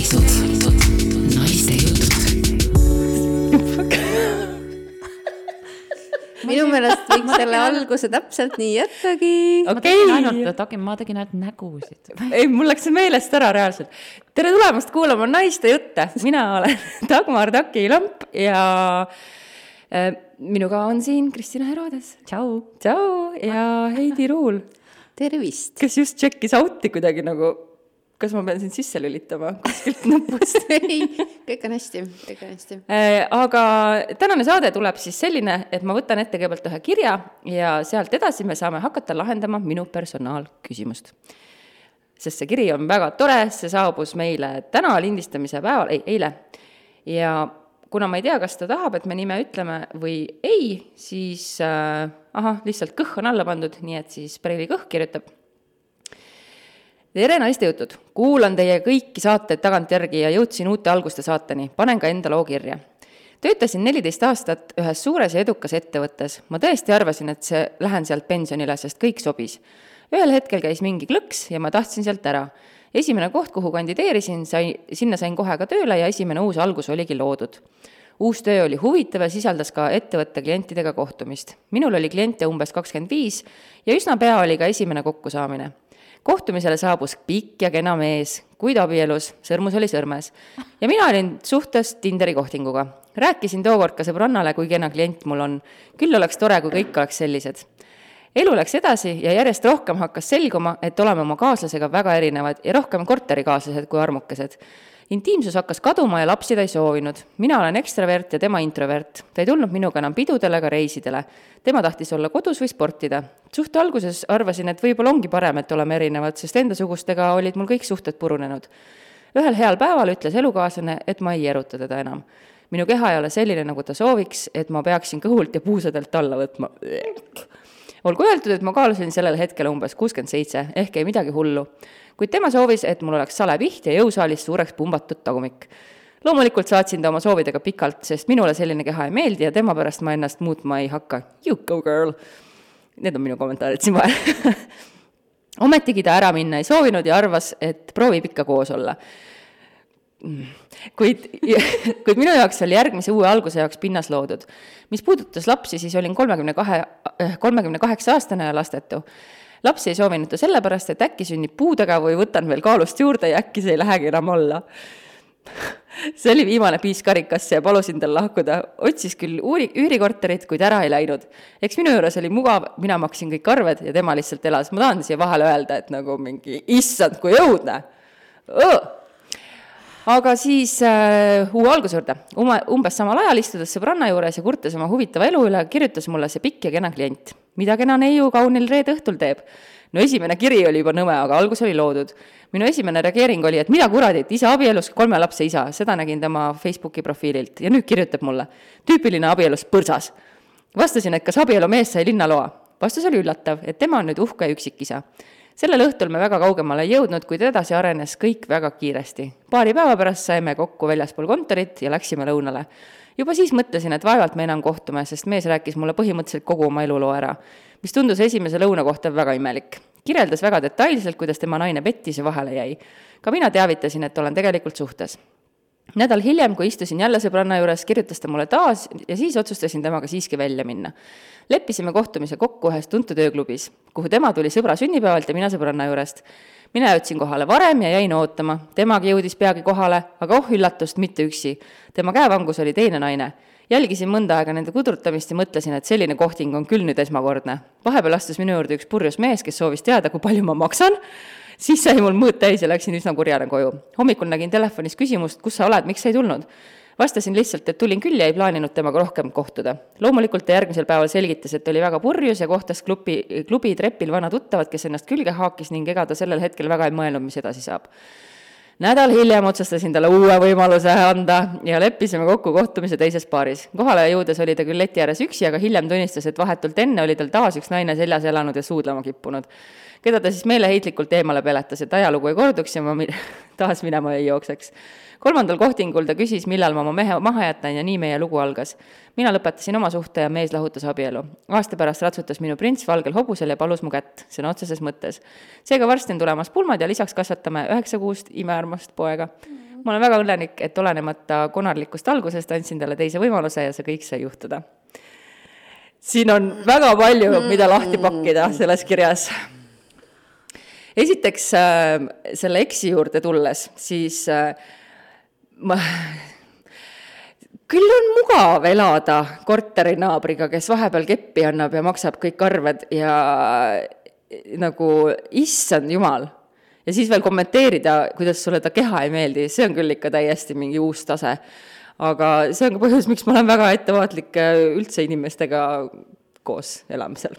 Naiste jutud. Minu meelest võiks selle alguse täpselt nii jättagi. Ma tegin ainult nägusid. Ei, mul läks see meelest ära reaalselt. Tere tulemast kuulama Naiste jutte. Mina olen Dagmar Taki-Lamp ja minuga on siin Kristina Herodes. Tšau. Tšau ja Heidi Ruul. Tervist. Kes just tšekkis auti kuidagi nagu, kas ma pean siin sisse lülitama kuskilt nupust? Ei, kõik on hästi. Aga tänane saade tuleb siis selline, et ma võtan ette kõigepealt ühe kirja ja sealt edasi me saame hakata lahendama minu personaalküsimust. Sest see kiri on väga tore, see saabus meile täna lindistamise päeval, eile. Ja kuna ma ei tea, kas ta tahab, et me nime ütleme või ei, siis lihtsalt kõh on alla pandud, nii et siis Preili kõh kirjutab. Tere Naiste jutud, kuulan teie kõiki saateid tagantjärgi ja jõudsin uute alguste saateni, panen ka enda loo kirja. Töötasin 14 aastat ühes suures ja edukas ettevõttes. Ma tõesti arvasin, et lähen sealt pensionile, sest kõik sobis. Ühel hetkel käis mingi klõks ja ma tahtsin sealt ära. Esimene koht, kuhu kandideerisin, sinna sain kohe ka tööle ja esimene uus algus oligi loodud. Uus töö oli huvitav ja sisaldas ka ettevõtte klientidega kohtumist. Minul oli kliente umbes 25 ja üsna pea oli ka esimene kokkusaamine. Kohtumisele saabus pikk ja kena mees, kuid abielus, sõrmus oli sõrmes. Ja mina olin suhtes Tinderi kohtinguga. Rääkisin tookord ka sõbrannale, kui kena klient mul on. Küll oleks tore, kui kõik oleks sellised. Elu läks edasi ja järjest rohkem hakkas selguma, et oleme oma kaaslasega väga erinevad ja rohkem korterikaaslased kui armukesed. Intiimsus hakkas kaduma ja lapsi ta ei soovinud. Mina olen ekstravert ja tema introvert. Ta ei tulnud minuga enam pidudele ega reisidele. Tema tahtis olla kodus või sportida. Suhte alguses arvasin, et võib-olla ongi parem, et oleme erinevad, sest endasugustega olid mul kõik suhted purunenud. Ühel heal päeval ütles elukaaslane, et ma ei eruta teda enam. Minu keha ei ole selline, nagu ta sooviks, et ma peaksin kõhult ja puusadelt alla võtma. Olgu öeldud, et ma kaalusin sellel hetkel umbes 67, ehk ei midagi hullu. Kuid tema soovis, et mul oleks salepiht ja jõusaalis suureks pumbatud tagumik. Loomulikult saatsin ta oma soovidega pikalt, sest minule selline keha ei meeldi ja tema pärast ma ennast muutma ei hakka. You go girl! Need on minu kommentaarid siin vahel. Ometigi ta ära minna ei soovinud ja arvas, et proovib ikka koos olla. Kuid minu jaoks oli järgmise uue alguse jaoks pinnas loodud. Mis puudutas lapsi, siis olin 38-aastane ja lastetu. Lapsi ei soovinud ta sellepärast, et äkki sünnib puudega või võtan veel kaalust juurde ja äkki see ei lähegi enam olla. See oli viimane piis karikasse ja palusin tal lahkuda. Otsis küll üürikorterit, kuid ära ei läinud. Eks minu juures oli mugav, mina maksin kõik arved ja tema lihtsalt elas. Ma tahan siia vahele öelda, et nagu mingi issand, kui õudne. Aga siis uue alguse juurde. Umbes samal ajal istudes sõbranna juures ja kurtes oma huvitava elu üle, kirjutas mulle see pikk ja kena klient. Mida kena neiu kaunil reede õhtul teeb? No esimene kiri oli juba nõme, aga algus oli loodud. Minu esimene reageering oli, et mida kuradit, isa abielus 3 lapse isa. Seda nägin tema Facebooki profiililt ja nüüd kirjutab mulle. Tüüpiline abielus põrsas. Vastasin, et kas abielu mees sai linnaloa. Vastus oli üllatav, et tema on nüüd uhke üksikisa. Sellel õhtul me väga kaugemale ei jõudnud, kuid edasi arenes kõik väga kiiresti. Paari päeva pärast saime kokku väljaspool kontorit ja läksime lõunale. Juba siis mõtlesin, et vaevalt me enam kohtume, sest mees rääkis mulle põhimõtteliselt kogu oma eluloo ära, mis tundus esimese lõuna kohta väga imelik. Kirjeldas väga detailselt, kuidas tema naine pettis ja vahele jäi. Ka mina teavitasin, et olen tegelikult suhtes. Nädal hiljem, kui istusin jälle sõbranna juures, kirjutas ta mulle taas ja siis otsustasin temaga siiski välja minna. Leppisime kohtumise kokku ühes tuntud ööklubis, kuhu tema tuli sõbra sünnipäevalt ja mina sõbranna juurest. Mina jõudsin kohale varem ja jäin ootama. Temagi jõudis peagi kohale, aga üllatust mitte üksi. Tema käevangus oli teine naine. Jälgisin mõnda aega nende kudrutamist ja mõtlesin, et selline kohting on küll nüüd esmakordne. Vahepeal astus minu juurde üks purjus mees, kes soovis teada, kui palju ma maksan. Siis sai mul mõõt täis ja läksin üsna kurjane koju. Hommikul nägin telefonis küsimust, kus sa oled, miks sa ei tulnud? Vastasin lihtsalt, et tulin küll ja ei plaaninud temaga rohkem kohtuda. Loomulikult ta järgmisel päeval selgitas, et oli väga purjus ja kohtas klubi trepil vana tuttavad, kes ennast külge haakis ning ega ta sellel hetkel väga ei mõelnud, mis edasi saab. Nädal hiljem otsustasin talle uue võimaluse anda ja leppisime kokku kohtumise teises paaris. Kohale jõudes oli ta küll leti ääres üksi, aga hiljem tunnistas, et vahetult enne oli tal taas üks naine seljas elanud ja suudlema kippunud. Keda ta siis meeleheitlikult eemale peletas, et ajalugu ei korduks ja ma taas minema ei jookseks. 3. kohtingul ta küsis, millal ma oma mehe maha jätan ja nii meie lugu algas. Mina lõpetasin oma suhte ja mees lahutas abielu. Aasta pärast ratsutas minu prints valgel hobusel ja palus mu kätt, see on otseses mõttes. Seega varsti on tulemas pulmad ja lisaks kasvatame 9 kuust imearmast poega. ma olen väga õnnelik, et olenemata konarlikust algusest andsin talle teise võimaluse ja see kõik sai juhtuda. Siin on väga palju, mida lahti pakkida selles kirjas. Esiteks selle eksi juurde tulles, siis küll on mugav elada korterinaabriga, kes vahepeal keppi annab ja maksab kõik arved ja nagu issand jumal. Ja siis veel kommenteerida, kuidas sulle ta keha ei meeldi, see on küll ikka täiesti mingi uus tase. Aga see on ka põhjus, miks ma olen väga ettevaatlik üldse inimestega koos elamisel.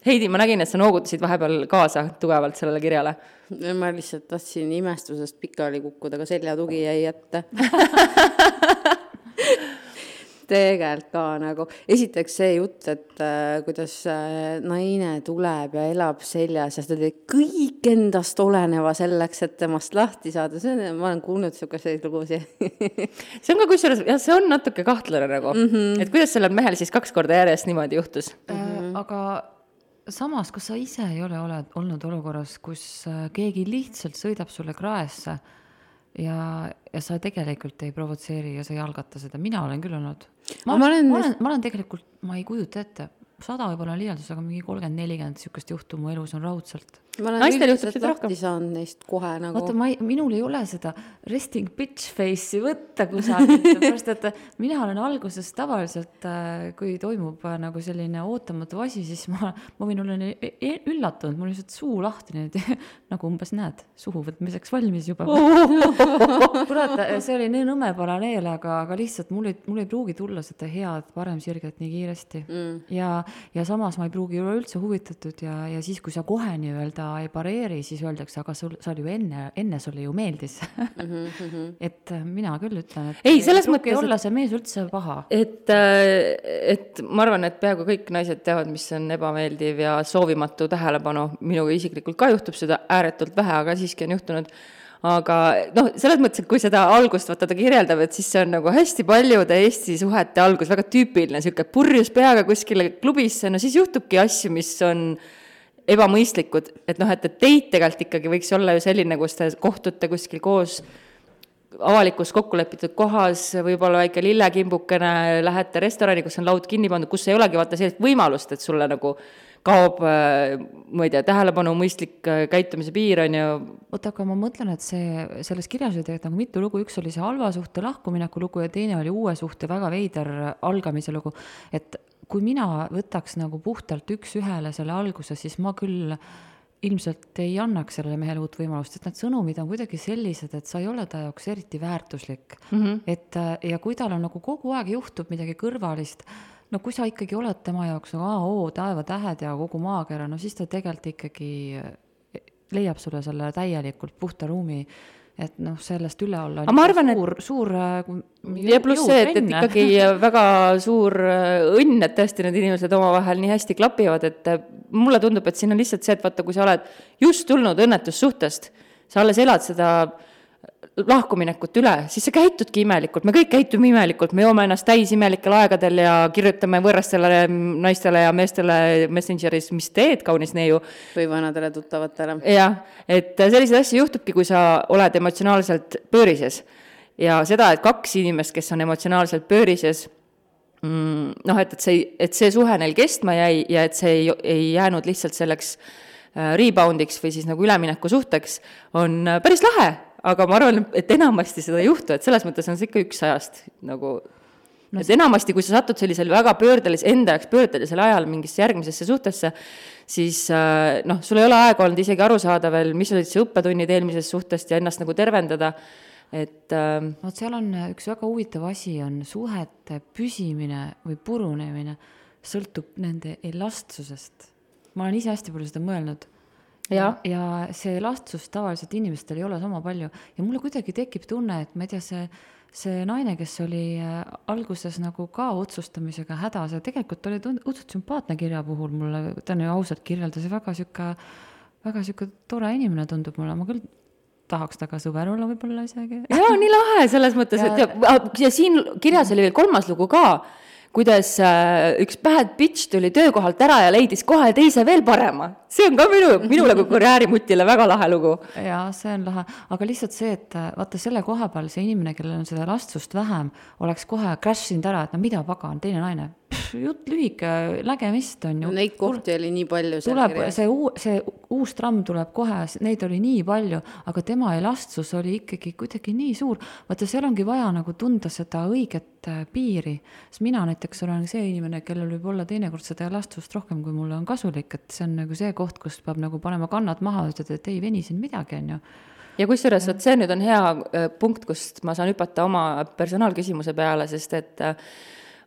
Heidi, ma nägin, et sa noogutasid vahepeal kaasa tugevalt sellele kirjale. Ma lihtsalt tahtsin imestusest pikali kukkuda, aga selja tugi jäi ette. Tegelikult ka nagu, esiteks see jutt, et kuidas naine tuleb ja elab seljas ja ta teeb kõik endast oleneva selleks, et temast lahti saada. Ma olen kuulnud selliseid lugusid. See on ka kusjuures, ja see on natuke kahtlane nagu, et kuidas sellel mehel siis 2 korda järjest niimoodi juhtus. Aga samas, kas sa ise ei ole olnud olukorras, kus keegi lihtsalt sõidab sulle kraesse ja sa tegelikult ei provotseeri ja sa ei algata seda. Mina olen küll olnud. Ma olen tegelikult, ma ei kujuta ette, 100 võib-olla liialdus, aga mingi 30-40 sükest juhtu mu elus on raudselt. Ma olen üldiselt lahti saanud neist kohe nagu. Vaata, minul ei ole seda resting bitch face'i võtta kusagilt, pärast, et mina olen alguses tavaliselt, kui toimub nagu selline ootamatu asi, siis ma võin olla üllatunud, mul lihtsalt suu lahti nüüd, nagu umbes näed, suhu võtmiseks valmis juba. Kurat, see oli nii nõme paraneel, aga lihtsalt mul ei pruugi tulla seda head parem sirget nii kiiresti. Ja samas ma ei pruugi olla üldse huvitatud ja siis, kui sa kohe nii-öelda ei pareeri, siis öeldakse, aga sa oli ju enne sulle ju meeldis. Et mina küll ütlen, et ei selles mõttes olla see mees üldse paha. Et ma arvan, et peaaegu kõik naised teavad, mis on ebameeldiv ja soovimatu tähelepanu. Minuga isiklikult ka juhtub seda ääretult vähe, aga siiski on juhtunud. Aga selles mõttes, et kui seda algust ta kirjeldab, et siis see on nagu hästi paljude Eesti suhete algus, väga tüüpiline, siuke purjus peaga kuskile klubisse, siis juhtubki asju, mis on ebamõistlikud, et teid tegelikult ikkagi võiks olla ju selline, kus te kohtute kuskil koos avalikus kokkulepitud kohas, võib-olla väike lillekimbukene, lähete restorani, kus on laud kinni pandud, kus ei olegi vaata sellist võimalust, et sulle nagu kaob, ma ei tea, tähelepanu mõistlik käitumise piir on ju. Oota, aga ma mõtlen, et selles kirjas oli tegelikult nagu mitu lugu, üks oli see halva suhte lahkumineku lugu ja teine oli uue suhte väga veider algamise lugu, et kui mina võtaks nagu puhtalt üks ühele selle alguse, siis ma küll ilmselt ei annaks sellele mehele uut võimalust, et need sõnumid on kuidagi sellised, et sa ei ole ta jaoks eriti väärtuslik. Et, ja kui tal on nagu kogu aeg juhtub midagi kõrvalist, no kui sa ikkagi oled tema jaoks nagu taeva tähed ja kogu maakera, no siis ta tegelikult ikkagi leiab sulle selle täielikult puhta ruumi, et sellest üle olla ma arvan, suur ja pluss see, et ikkagi väga suur õnn, et tõesti need inimesed omavahel nii hästi klapivad, et mulle tundub, et siin on lihtsalt see, et vaata, kui sa oled just tulnud õnnetussuhtest, sa alles elad seda lahkuminekut üle, siis sa käitudki imelikult, me kõik käitume imelikult, me joome ennast täis imelikel aegadel ja kirjutame võõrastele naistele ja meestele Messengeris, mis teed kaunis neiu. Või vanadele tuttavatele. Jah, et selliseid asju juhtubki, kui sa oled emotsionaalselt pöörises. Ja seda, et 2 inimest, kes on emotsionaalselt pöörises, et see suhe neil kestma jäi ja et see ei jäänud lihtsalt selleks reboundiks või siis nagu ülemineku suhteks, on päris lahe. Aga ma arvan, et enamasti seda ei juhtu, et selles mõttes on see ikka 1 ajast nagu, et enamasti, kui sa satud sellisel väga enda jaoks pöördelisel ajal mingisse järgmisesse suhtesse, siis sul ei ole aega olnud isegi aru saada veel, mis olid see õppetunnid eelmisest suhtest ja ennast nagu tervendada, et seal on üks väga huvitav asi, on suhete püsimine või purunemine sõltub nende elastsusest. Ma olen ise hästi palju seda mõelnud. Ja see elastsus tavaliselt inimestel ei ole sama palju ja mulle kuidagi tekib tunne, et ma ei tea, see naine, kes oli alguses nagu ka otsustamisega hädas ja tegelikult oli õudselt sümpaatne kirja puhul mulle, ta on ju ausalt kirjeldas ja väga süke tore inimene tundub mulle, ma küll tahaks taga sõber olla võib-olla isegi. Jaa, nii lahe selles mõttes, et ja siin kirjas oli veel 3. lugu ka, kuidas üks bad bitch tuli töökohalt ära ja leidis kohe teise veel parema. See on ka minule kui karjäärimutile väga lahe lugu. Jaa, see on lahe, aga lihtsalt see, et vaata selle koha peal see inimene, kellel on seda lastsust vähem, oleks kohe crashinud ära, et no mida pagan, teine naine. Jutt lühike, lägemist on ju. No neid kohti oli nii palju. Tuleb, see uus tramm tuleb kohe, neid oli nii palju, aga tema elastsus oli ikkagi kuidagi nii suur. Vaata, seal ongi vaja nagu tunda seda õiget piiri. Sest mina näiteks olen see inimene, kellel võib olla teinekord seda elastsust rohkem, kui mulle on kasulik, et see on nagu see koht, kus peab nagu panema kannad maha, et ei veni siin midagi, on ju. Ja kusjuures, see nüüd on hea punkt, kust ma saan hüpata oma personaalküsimuse peale, sest et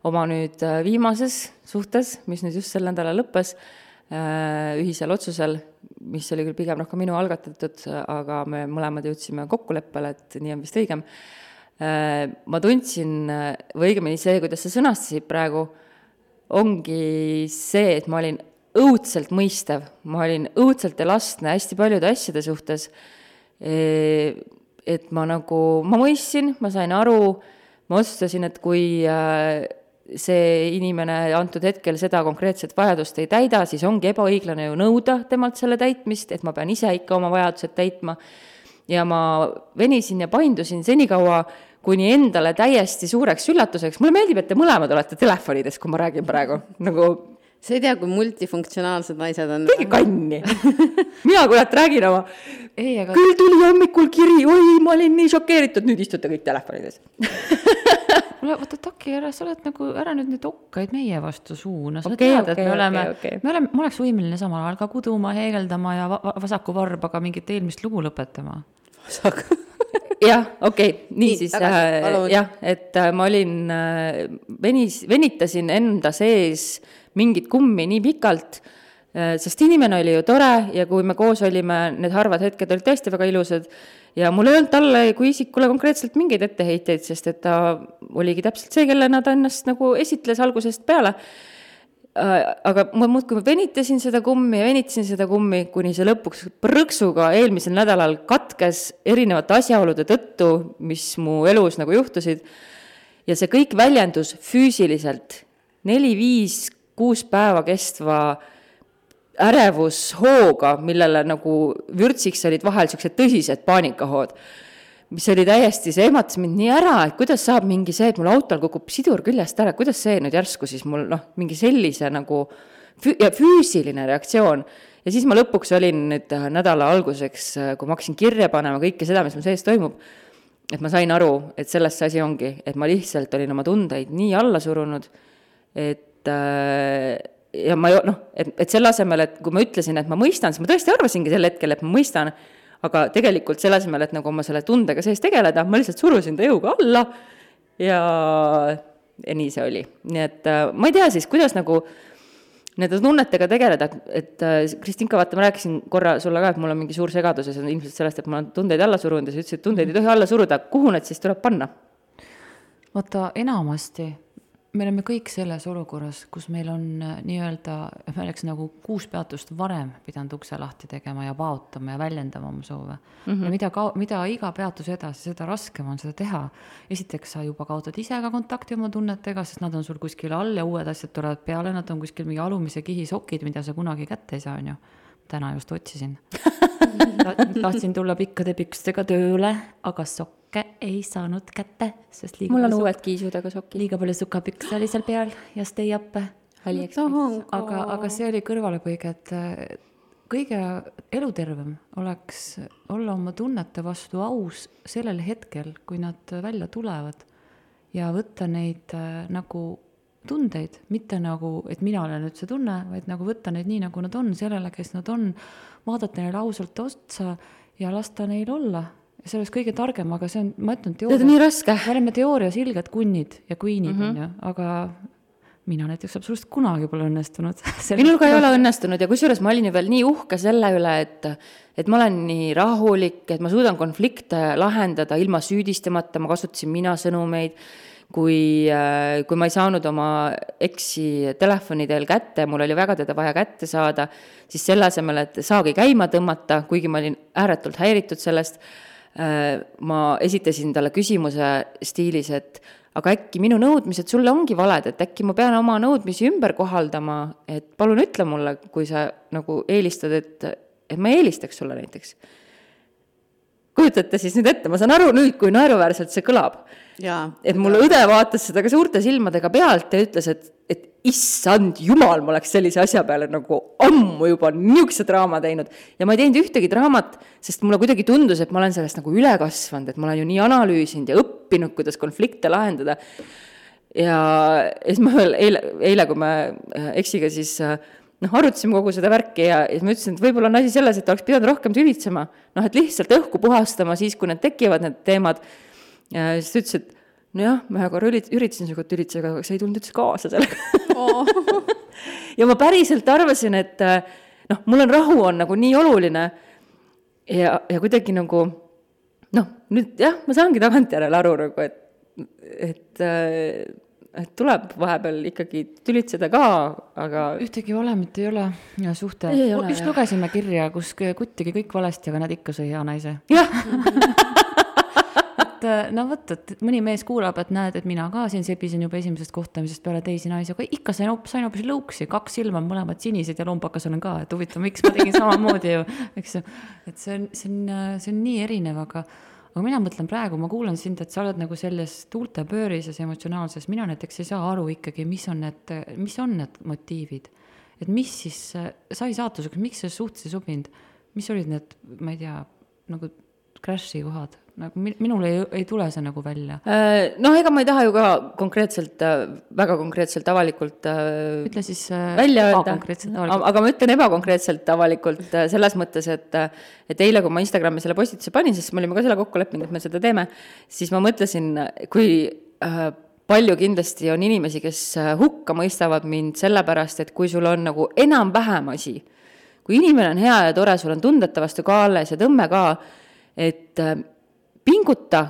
oma nüüd viimases suhtes, mis nüüd just sel nädalal lõppes, ühisel otsusel, mis oli küll pigem rohkem minu algatatud, aga me mõlemad jõudsime kokkuleppele, et nii on vist õigem. Ma tundsin, või õigemini see, kuidas sa sõnastasid praegu, ongi see, et ma olin õudselt mõistev, ma olin õudselt elastne hästi paljude asjade suhtes, et ma mõistsin, ma sain aru, ma otsustasin, et kui see inimene antud hetkel seda konkreetset vajadust ei täida, siis ongi ebaõiglane ju nõuda temalt selle täitmist, et ma pean ise ikka oma vajadused täitma. Ja ma venisin ja paindusin senikaua, kuni endale täiesti suureks üllatuseks. Mulle meeldib, et te mõlemad olete telefonides, kui ma räägin praegu. Sa ei tea, kui multifunktsionaalsed naised on. Tegi kanni. Mina kurat räägin oma. Küll tuli hommikul kiri, oi, ma olin nii šokeeritud, nüüd istute kõik telefonides. Vaata, Taki, sa oled nagu ära nüüd neid okkaid meie vastu suuna. Sa tead, et me oleks võimeline samal ajal ka kuduma, heegeldama ja vasaku varbaga mingit eelmist lugu lõpetama. Jah, nii siis jah, et ma olin, venitasin enda sees mingit kummi nii pikalt, sest inimene oli ju tore ja kui me koos olime, need harvad hetked olid tõesti väga ilusad ja mul ei olnud talle kui isikule konkreetselt mingeid etteheiteid, sest et ta oligi täpselt see, kellena ta ennast nagu esitles algusest peale. Aga ma muudkui venitasin seda kummi, kuni see lõpuks prõksuga eelmisel nädalal katkes erinevate asjaolude tõttu, mis mu elus nagu juhtusid. Ja see kõik väljendus füüsiliselt 4-5-6 päeva kestva ärevushooga, millele nagu vürtsiks olid vahel sellised tõsised paanikahood, mis oli täiesti, see ematas mind nii ära, et kuidas saab mingi see, et mul autol kukub sidur küljest ära, kuidas see nüüd järsku siis mul mingi sellise nagu füüsiline reaktsioon. Ja siis ma lõpuks olin nüüd nädala alguseks, kui ma hakkasin kirja panema kõike seda, mis mu sees toimub, et ma sain aru, et sellest see asi ongi, et ma lihtsalt olin oma tundeid nii alla surunud, et ja ma et selle asemel, et kui ma ütlesin, et ma mõistan, siis ma tõesti arvasingi sel hetkel, et ma mõistan, aga tegelikult selle asemel, et nagu oma selle tundega sees tegeleda, ma lihtsalt surusin ta jõuga alla ja nii see oli. Nii et ma ei tea siis, kuidas nagu nende tunnetega tegeleda, et Kristinka, vaata, ma rääkisin korra sulle ka, et mul on mingi suur segadus ja see on ilmselt sellest, et ma olen tundeid alla surunud ja sa ütlesid, et tundeid ei tohi alla suruda, kuhu need siis tuleb panna? Vaata, enamasti me oleme kõik selles olukorras, kus meil on nii-öelda, me oleks nagu 6 peatust varem pidanud ukse lahti tegema ja paotama ja väljendama oma soove. Ja mida iga peatus edasi, seda raskem on seda teha. Esiteks sa juba kaotad ise ka kontakti oma tunnetega, sest nad on sul kuskil all ja uued asjad tulevad peale, nad on kuskil mingi alumise kihi sokid, mida sa kunagi kätte ei saa, on ju. Täna just otsisin. Tahtsin tulla pikkade pükstega tööle, aga ei saanud kätte, sest mul on uued kiisudega sokid. Liiga palju sukapüks oli seal peal ja stay up. Aga see oli kõrvalepõige, et kõige elutervem oleks olla oma tunnete vastu aus sellel hetkel, kui nad välja tulevad ja võtta neid nagu tundeid, mitte nagu, et mina olen nüüd see tunne, vaid nagu võtta neid nii, nagu nad on, sellele, kes nad on, vaadata neile ausalt otsa ja lasta neil olla. See oleks kõige targem, aga see on, ma ütlen teoorias. See on nii raske. Me oleme teoorias ilged kunnid ja queenid, on ju, aga mina näiteks absoluutselt kunagi pole õnnestunud. Minul ka ei ole õnnestunud ja kusjuures ma olin ju veel nii uhke selle üle, et ma olen nii rahulik, et ma suudan konflikte lahendada ilma süüdistamata, ma kasutasin mina sõnumeid, kui ma ei saanud oma eksi telefonidel kätte, mul oli väga teda vaja kätte saada, siis selle asemel, et saagi käima tõmmata, kuigi ma olin ääretult häiritud sellest, ma esitasin talle küsimuse stiilis, et aga äkki minu nõudmised sulle ongi valed, et äkki ma pean oma nõudmisi ümber kohaldama, et palun ütle mulle, kui sa nagu eelistad, et ma eelistaks sulle näiteks. Kujutate siis nüüd ette, ma saan aru nüüd, kui naeruväärselt see kõlab. Et mulle õde vaatas seda ka suurte silmadega pealt ja ütles, et issand jumal, ma oleks sellise asja peale nagu ammu juba niisuguse draama teinud. Ja ma ei teinud ühtegi draamat, sest mulle kuidagi tundus, et ma olen sellest nagu üle kasvanud, et ma olen ju nii analüüsinud ja õppinud, kuidas konflikte lahendada. Ja siis ma eile, kui me Eksiga siis arutasime kogu seda värki ja siis ma ütlesin, et võib-olla on asi selles, et oleks pidanud rohkem tülitsema. Et lihtsalt õhku puhastama siis, kui need tekivad, need teemad. Ja siis ta ütles, et nojah, ma korra üritasin sinuga tülitsega, aga see ei tulnud üldse kaasa sellega. Ja ma päriselt arvasin, et mul on rahu on nagu nii oluline ja kuidagi nagu nüüd jah, ma saangi tagantjärele aru nagu, et tuleb vahepeal ikkagi tülitseda ka, aga ühtegi valemit ei ole ja suhte. Just lugesime kirja, kus kuttigi kõik valesti, aga nad ikka sõi hea naise. Jah. Võt, et mõni mees kuulab, et näed, et mina ka siin sebisin juba esimesest kohtamisest peale teisi naisi, aga ikka sain hoopis lõuksi, 2 silma on mõlemad sinised ja lombakas olen ka, et huvitav, miks ma tegin samamoodi ju, eks ju, et see on nii erinev, aga mina mõtlen praegu, ma kuulan sind, et sa oled nagu selles tuultepöörises emotsionaalses, mina näiteks ei saa aru ikkagi, mis on need motiivid, et mis siis sai saatuseks, miks see suhtes ei sobinud, mis olid need, ma ei tea, nagu crash'i kohad, nagu minul ei tule see nagu välja. Ega ma ei taha ju ka väga konkreetselt avalikult ütle siis välja öelda, aga ma ütlen ebakonkreetselt avalikult selles mõttes, et eile, kui ma Instagrami selle postituse panin, sest me olime ka selle kokku leppinud, et me seda teeme, siis ma mõtlesin, kui palju kindlasti on inimesi, kes hukka mõistavad mind sellepärast, et kui sul on nagu enam-vähem asi, kui inimene on hea ja tore, sul on tundete vastu ka alles ja tõmme ka, et pinguta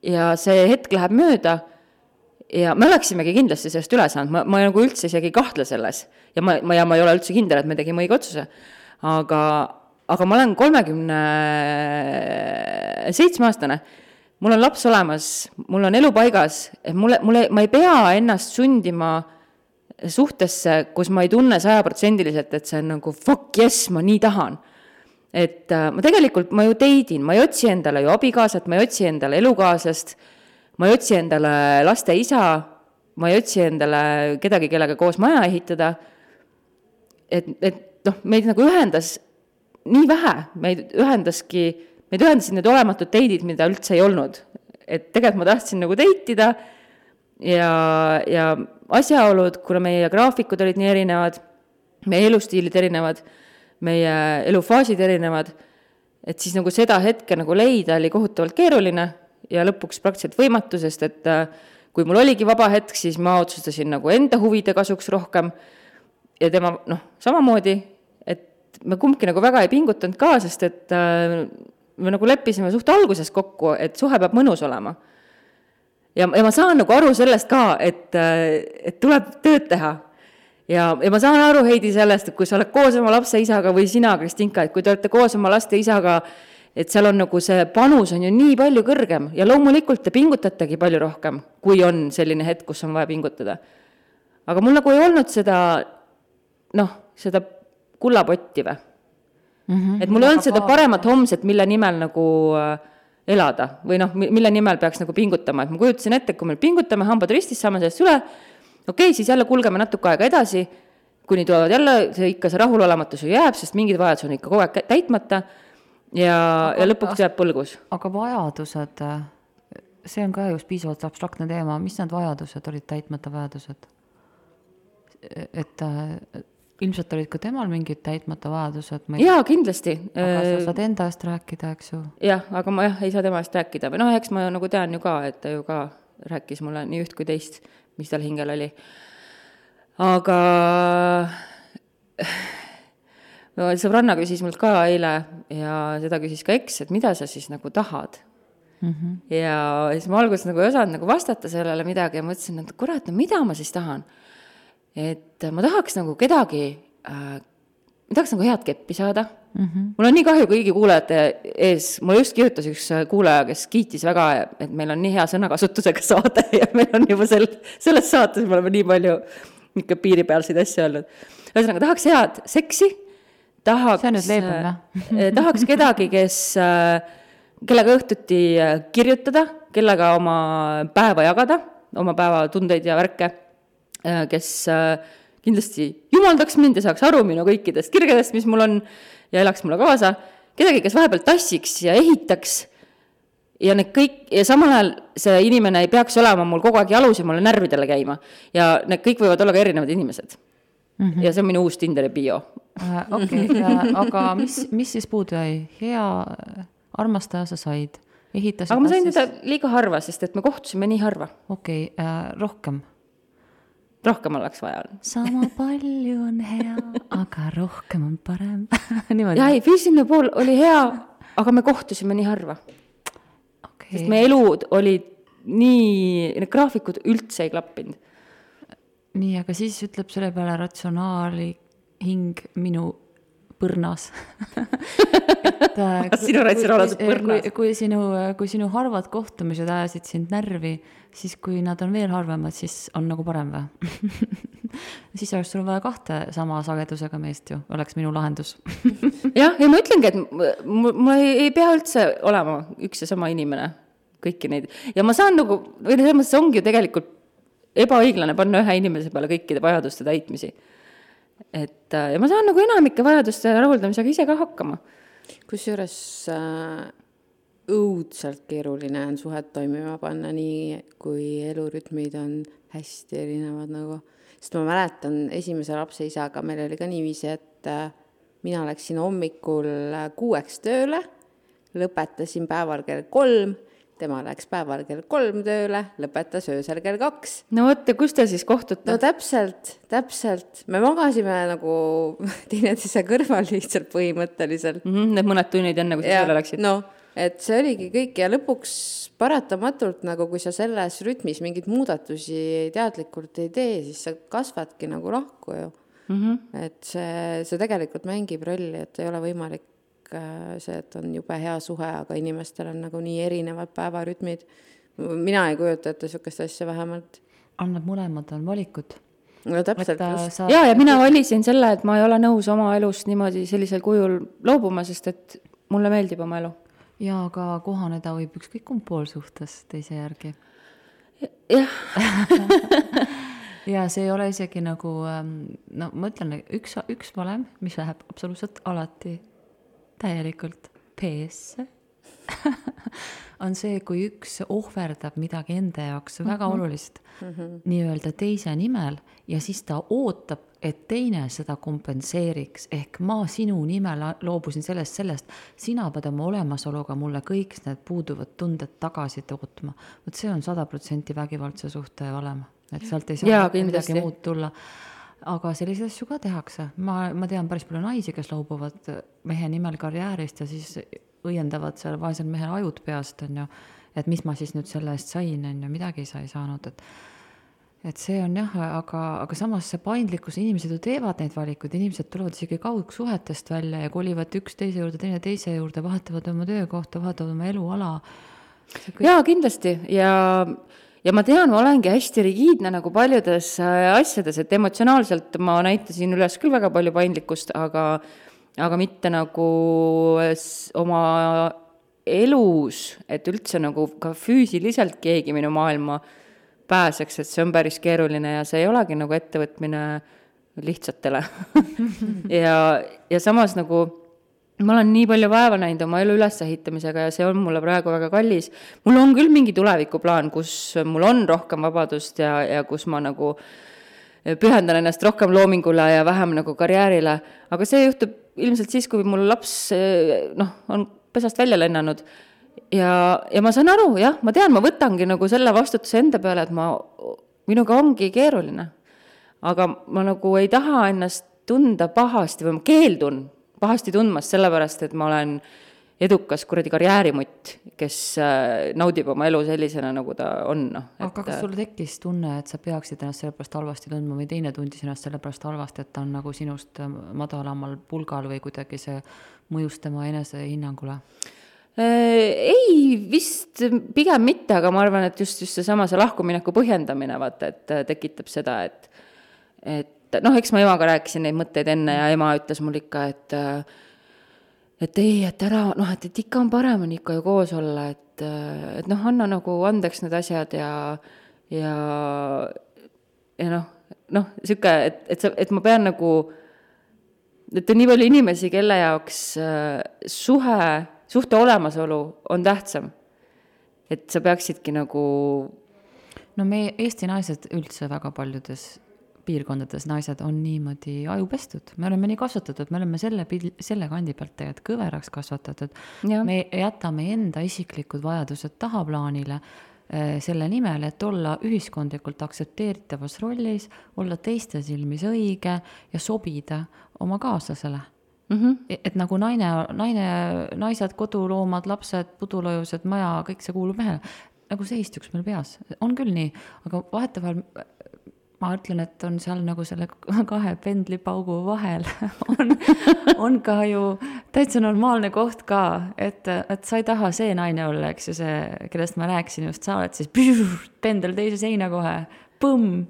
ja see hetk läheb mööda ja me oleksimegi kindlasti sellest üle saanud, ma nagu üldse isegi kahtle selles ja ma ei ole üldse kindel, et me tegime õige otsuse, aga ma olen 37-aastane, mul on laps olemas, mul on elu paigas, et ma ei pea ennast sundima suhtesse, kus ma ei tunne 100%, et see on nagu fuck yes, ma nii tahan. Et ma ju teidin, ma ei otsi endale ju abikaasat, ma ei otsi endale elukaaslast, ma ei otsi endale laste isa, ma ei otsi endale kedagi, kellega koos maja ehitada. Et meid nagu ühendas nii vähe, meid ühendasid need olematud teidid, mida üldse ei olnud. Et tegelikult ma tahtsin nagu teitida ja asjaolud, kuna meie graafikud olid nii erinevad, meie elustiilid erinevad, meie elufaasid erinevad, et siis nagu seda hetke nagu leida oli kohutavalt keeruline ja lõpuks praktiliselt võimatu, sest et kui mul oligi vaba hetk, siis ma otsustasin nagu enda huvide kasuks rohkem ja tema samamoodi, et me kumbki nagu väga ei pingutanud ka, sest et me nagu leppisime suht alguses kokku, et suhe peab mõnus olema. Ja ma saan nagu aru sellest ka, et tuleb tööd teha. Ja ma saan aru, Heidi, sellest, et kui sa oled koos oma lapse isaga või sina, Kristinka, et kui te olete koos oma laste isaga, et seal on nagu see panus on ju nii palju kõrgem ja loomulikult te pingutategi palju rohkem, kui on selline hetk, kus on vaja pingutada. Aga mul nagu ei olnud seda kullapotti või. Et mul ei olnud seda paremat homset, mille nimel nagu elada või mille nimel peaks nagu pingutama. Et ma kujutasin ette, kui me pingutame, hambad ristis, saame sellest üle, okei, siis jälle kulgeme natuke aega edasi, kuni tulevad jälle, ikka see rahulolematus jääb, sest mingid vajadused on ikka kogu aeg täitmata ja lõpuks jääb põlgus. Aga vajadused, see on ka just piisavalt abstraktne teema, mis need vajadused olid, täitmata vajadused? Et ilmselt olid ka temal mingid täitmata vajadused? Jaa, kindlasti. Aga sa saad enda eest rääkida, eks ju? Jah, aga ma ei saa tema eest rääkida. Või eks ma nagu tean ju ka, et ta ju ka rääkis mulle nii üht kui teist, mis tal hingel oli. Aga sõbranna küsis mult ka eile ja seda küsis ka Eks, et mida sa siis nagu tahad. Ja siis ma alguses nagu ei osanud nagu vastata sellele midagi ja mõtlesin, et kurat, mida ma siis tahan. Et ma tahaks nagu kedagi, ma tahaks nagu head keppi saada, Mul on nii kahju kõigi kuulajate ees, mulle just kirjutas üks kuulaja, kes kiitis väga, et meil on nii hea sõnakasutusega saade ja meil on juba selles saates me oleme nii palju ikka piiripealseid asju olnud. Ühesõnaga, tahaks head seksi, tahaks kedagi, kellega õhtuti kirjutada, kellega oma päeva jagada, oma päeva tundeid ja värke, kes kindlasti jumaldaks mind ja saaks aru minu kõikidest kirgedest, mis mul on, ja elaks mulle kaasa, kedagi, kes vahepeal tassiks ja ehitaks ja need kõik, ja samal ajal see inimene ei peaks olema mul kogu aeg jalus ja mulle närvidele käima. Ja need kõik võivad olla ka erinevad inimesed. Ja see on minu uus Tinderi bio. Okei, aga mis siis puudu jäi? Hea armastaja sa said? Aga ma sain seda liiga harva, sest et me kohtusime nii harva. Okei, rohkem oleks vaja. Sama palju on hea, aga rohkem on parem. Ja ei, füüsiline pool oli hea, aga me kohtusime nii harva. Okay. Sest meie elud olid nii, need graafikud üldse ei klappinud. Nii, aga siis ütleb selle peale ratsionaali hing minu põrnas. Sinu ratsionaalsed põrnas. Kui sinu harvad kohtumised ajasid sind närvi, siis kui nad on veel harvemad, siis on nagu parem või? Siis oleks sul vaja 2 sama sagedusega meest ju, oleks minu lahendus. ja ma ütlengi, et mul ei pea üldse olema üks ja sama inimene kõiki neid. Ja ma saan nagu, või see ongi ju tegelikult ebaõiglane panna ühe inimese peale kõikide vajaduste täitmisi. Ja ma saan nagu enamike vajaduste rahuldamisega ise ka hakkama. Kusjuures õudselt keeruline on suhet toimima panna nii, kui elurütmid on hästi erinevad nagu. Sest ma mäletan esimese lapse isaga, meil oli ka niiviisi, et mina läksin hommikul 6 tööle, lõpetasin päeval kell 3, tema läks päeval kell 3 tööle, lõpetas öösel kell 2. No võtta, kus te siis kohtute? No täpselt. Me magasime nagu teineteise kõrval lihtsalt põhimõtteliselt. Need mõned tunnid enne, kui sa tööle läksid. No, et see oligi kõik ja lõpuks paratamatult, nagu kui sa selles rütmis mingid muudatusi teadlikult ei tee, siis sa kasvadki nagu lahku ju. Et see tegelikult mängib rolli, et ei ole võimalik see, et on jube hea suhe, aga inimestel on nagu nii erinevad päevarütmid. Mina ei kujuta ette sükest asja vähemalt. Annab mõlemad on valikud. No täpselt just. Ja mina valisin selle, et ma ei ole nõus oma elust niimoodi sellisel kujul loobuma, sest et mulle meeldib oma elu. Ja aga kohaneda võib ükskõik kumb pool suhtes teise järgi. Jah. Ja see ei ole isegi nagu, no ma ütlen, üks valem, mis läheb absoluutselt alati täielikult PS on see, kui üks ohverdab midagi enda jaoks väga olulist nii-öelda teise nimel ja siis ta ootab, et teine seda kompenseeriks, ehk ma sinu nimel loobusin sellest, sina pead oma olemasoluga mulle kõik need puuduvad tunded tagasi tootma. Võt see on 100% vägivaldse suhte valem, et sealt ei saa midagi muud tulla. Aga selliseid asju ka tehakse. Ma tean päris palju naisi, kes loobuvad mehe nimel karjäärist ja siis õiendavad seal vaesel mehel ajud peast, on ju, et mis ma siis nüüd selle eest sain, on ju, midagi ei saanud. Et see on jah, aga samas see paindlikkus, inimesed ju teevad neid valikuid, inimesed tulevad isegi kaugsuhetest välja ja kolivad üks teise juurde, teine teise juurde, vahetavad oma töökohta, vahetavad oma eluala. Jaa, kindlasti. Ja ma tean, ma olengi hästi rigiidne nagu paljudes asjades, et emotsionaalselt ma näitasin üles küll väga palju paindlikkust, aga mitte nagu oma elus, et üldse nagu ka füüsiliselt keegi minu maailma pääseks, et see on päris keeruline ja see ei olegi nagu ettevõtmine lihtsatele. ja samas nagu ma olen nii palju vaeva näinud oma elu ülesehitamisega ja see on mulle praegu väga kallis. Mul on küll mingi tulevikuplaan, kus mul on rohkem vabadust ja kus ma nagu pühendan ennast rohkem loomingule ja vähem nagu karjäärile. Aga see juhtub ilmselt siis, kui mul laps on pesast välja lennanud. Ja ma saan aru, jah, ma tean, ma võtangi nagu selle vastutuse enda peale, et minuga ongi keeruline. Aga ma nagu ei taha ennast tunda pahasti või ma keeldun pahasti tundmas sellepärast, et ma olen edukas kuradi karjäärimutt, kes naudib oma elu sellisena, nagu ta on. Aga kas sul tekkis tunne, et sa peaksid ennast sellepärast halvasti tundma või teine tundis ennast sellepärast halvasti, et ta on nagu sinust madalamal pulgal või kuidagi see mõjus tema enesehinnangule? Ei, vist pigem mitte, aga ma arvan, et just seesama see lahkumineku põhjendamine, vaata, et tekitab seda, et noh, eks ma emaga rääkisin neid mõtteid enne ja ema ütles mul ikka, et ei, et ära, noh, et ikka on parem on ikka ju koos olla, et noh, anna nagu andeks need asjad ja siuke, et ma pean nagu, et on nii palju inimesi, kelle jaoks suhte olemasolu on tähtsam. Et sa peaksidki nagu... No me Eesti naised üldse väga paljudes piirkondades naised on niimoodi ajupestud. Me oleme nii kasvatatud, me oleme selle kandi pealt tegelikult kõveraks kasvatatud. Ja. Me jätame enda isiklikud vajadused tahaplaanile selle nimel, et olla ühiskondlikult aktsepteeritavas rollis, olla teiste silmis õige ja sobida oma kaaslasele. Et nagu naised, koduloomad, lapsed, pudulojused, maja, kõik see kuulub mehele. Nagu see istuks meil peas. On küll nii, aga vahetevahel ma ütlen, et on seal nagu selle kahe pendlipaugu vahel on ka ju täitsa normaalne koht ka, et sa ei taha see naine olla, eks ju see, kellest ma rääkisin just, sa oled siis pendel teise seina kohe, põmm.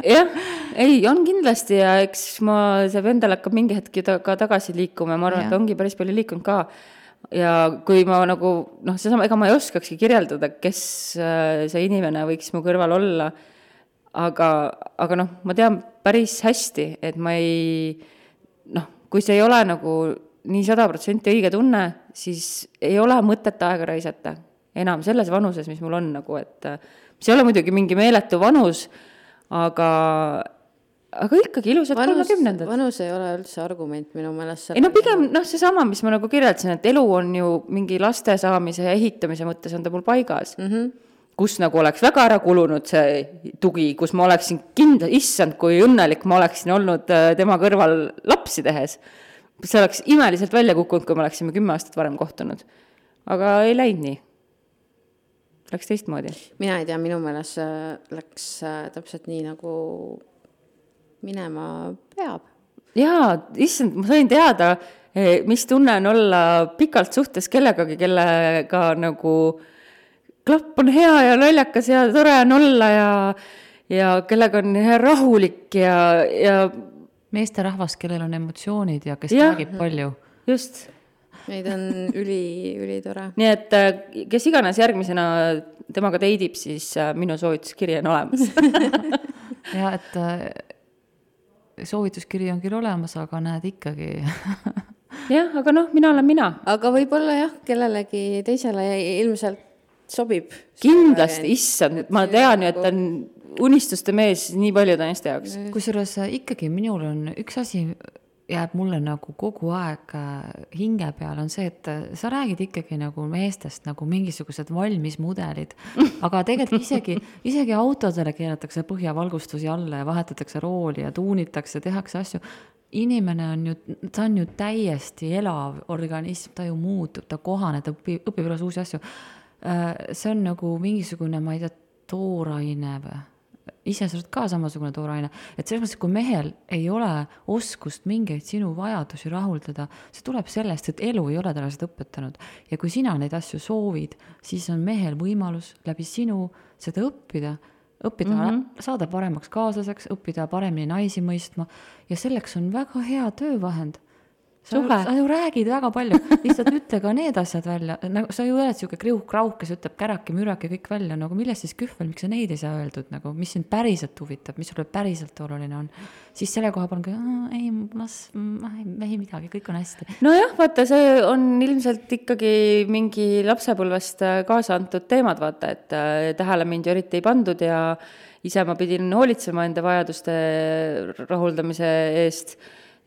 Jah, ei, on kindlasti ja eks see pendel hakkab mingi hetki ka tagasi liikuma ja ma arvan, et ongi päris palju liikunud ka. Ja kui ma nagu, seesama, ega ma ei oskakski kirjeldada, kes see inimene võiks mu kõrval olla, aga ma tean päris hästi, et ma ei, kui see ei ole nagu nii 100% õige tunne, siis ei ole mõtet aega raisata enam selles vanuses, mis mul on nagu, et see ei ole muidugi mingi meeletu vanus, aga ikkagi ilusad 30-ndad. Vanus ei ole üldse argument minu meelest. Ei pigem seesama, mis ma nagu kirjeldasin, et elu on ju mingi laste saamise ja ehitamise mõttes on ta mul paigas. Kus nagu oleks väga ära kulunud see tugi, kus ma oleksin issand, kui õnnelik ma oleksin olnud tema kõrval lapsi tehes. See oleks imeliselt välja kukkunud, kui me oleksime 10 aastat varem kohtunud. Aga ei läinud nii. Läks teistmoodi. Mina ei tea, minu meelest läks täpselt nii, nagu minema peab. Jaa, issand, ma sain teada, mis tunne on olla pikalt suhtes kellegagi, kellega nagu klapp on hea ja naljakas ja tore on olla ja kellega on rahulik ja meesterahvas, kellel on emotsioonid ja kes räägib palju. Just. Neid on üli tore. Nii et kes iganes järgmisena temaga teidib, siis minu soovituskiri on olemas. Ja, et soovituskiri on küll olemas, aga näed ikkagi. Jah, aga mina olen mina. Aga võib-olla jah, kellelegi teisele ilmselt sobib. Kindlasti, issand, ma tean ju, et on unistuste mees nii paljude naiste jaoks. Kusjuures ikkagi minul on üks asi jääb mulle nagu kogu aeg hinge peal on see, et sa räägid ikkagi nagu meestest nagu mingisugused valmis mudelid, aga tegelikult isegi autodele keeratakse põhjavalgustusi alla ja vahetatakse rooli ja tuunitakse, tehakse asju. Inimene ta on ju täiesti elav organism, ta ju muutub, ta kohaneb, ta õpib üles uusi asju. See on nagu mingisugune, ma ei tea, tooraine või? Ise sa oled ka samasugune tooraine. Et selles mõttes, kui mehel ei ole oskust mingeid sinu vajadusi rahuldada, see tuleb sellest, et elu ei ole talle seda õpetanud. Ja kui sina neid asju soovid, siis on mehel võimalus läbi sinu seda õppida, saada paremaks kaaslaseks, õppida paremini naisi mõistma ja selleks on väga hea töövahend. Sa ju räägid väga palju, lihtsalt ütle ka need asjad välja. Sa ju oled siuke kriuh-krauh, kes ütleb käraki, müraki kõik välja, nagu millest siis kühvel, miks sa neid ei saa öeldud, nagu, mis sind päriselt huvitab, mis sulle päriselt oluline on. Siis selle koha palun, ei midagi, kõik on hästi. Nojah, vaata, see on ilmselt ikkagi mingi lapsepõlvest kaasa antud teemad, vaata, et tähele mind ju eriti ei pandud ja ise ma pidin hoolitsema enda vajaduste rahuldamise eest.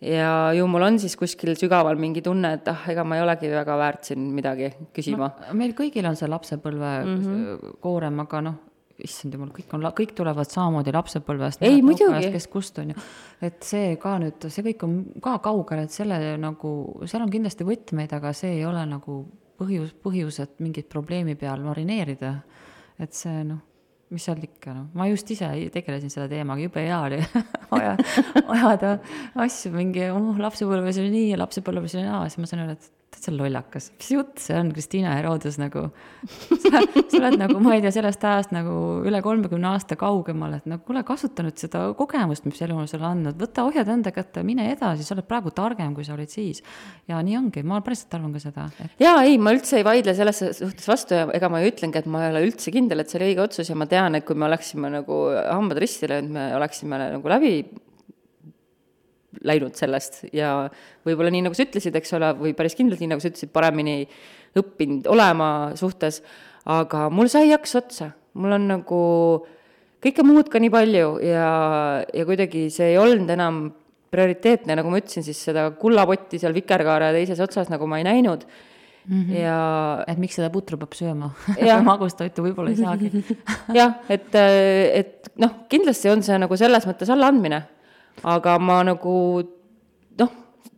Ja ju mul on siis kuskil sügaval mingi tunne, et ega ma ei olegi väga väärt siin midagi küsima. Meil kõigil on see lapsepõlve koorem, aga issand jumal, kõik tulevad samamoodi lapsepõlvest. Ei, muidugi. Kes kust on ju. Et see ka nüüd, see kõik on ka kaugel, et selle nagu, seal on kindlasti võtmeid, aga see ei ole nagu põhjus, et mingit probleemi peal marineerida. Et see mis seal ikka, noh, ma just ise tegelesin selle teemaga, jube hea oli ajada asju mingi, lapsepõlves oli nii ja lapsepõlves oli naa, siis ma sain öelda, et see on lollakas, mis jutt see on, Kristiina Herodes nagu, sa oled nagu, ma ei tea, sellest ajast nagu üle 30 aasta kaugemal, et nagu kuule, kasuta nüüd seda kogemust, mis elu on sulle andnud, võta ohjad enda kätte, mine edasi, sa oled praegu targem, kui sa olid siis. Ja nii ongi, ma päriselt arvan ka seda. Jaa, ei, ma üldse ei vaidle selles suhtes vastu ja ega ma ju ütlengi, et ma ei ole üldse kindel, et see oli õige otsus ja ma tean, et kui me oleksime nagu hambad ristile, et me oleksime nagu läbi läinud sellest ja võib-olla nii, nagu sa ütlesid, eks ole, või päris kindlalt nii, nagu sa ütlesid, paremini õppinud olema suhtes, aga mul sai jaks otsa. Mul on nagu kõike muud ka nii palju ja kuidagi see ei olnud enam prioriteetne, nagu ma ütlesin, siis seda kullapotti seal vikerkaare teises otsas nagu ma ei näinud. Ja et miks seda putru peab sööma? Magustoitu võib-olla ei saagi. Jah, et noh, kindlasti on see nagu selles mõttes allaandmine. Aga ma nagu, noh,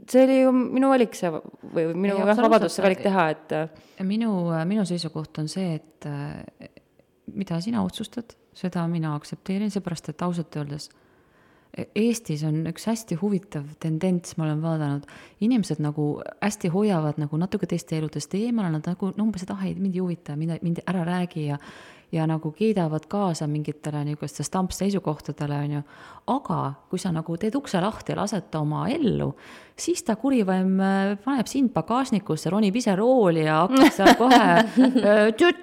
see oli ju minu valik see, või minu vabadus see valik teha, et minu seisukoht on see, et mida sina otsustad, seda mina aktsepteerin, seepärast, et ausalt öeldes Eestis on üks hästi huvitav tendents, ma olen vaadanud, inimesed nagu hästi hoiavad nagu natuke teiste eludest eemale, nad nagu umbes, et ei, mind ei huvita, mind ära räägi ja nagu kiidavad kaasa mingitele niisuguste stampseisukohtadele, on ju. Aga kui sa nagu teed ukse lahti ja lased oma ellu, siis ta kurivaim paneb sind pagasnikusse, ronib ise rooli ja hakkab seal kohe,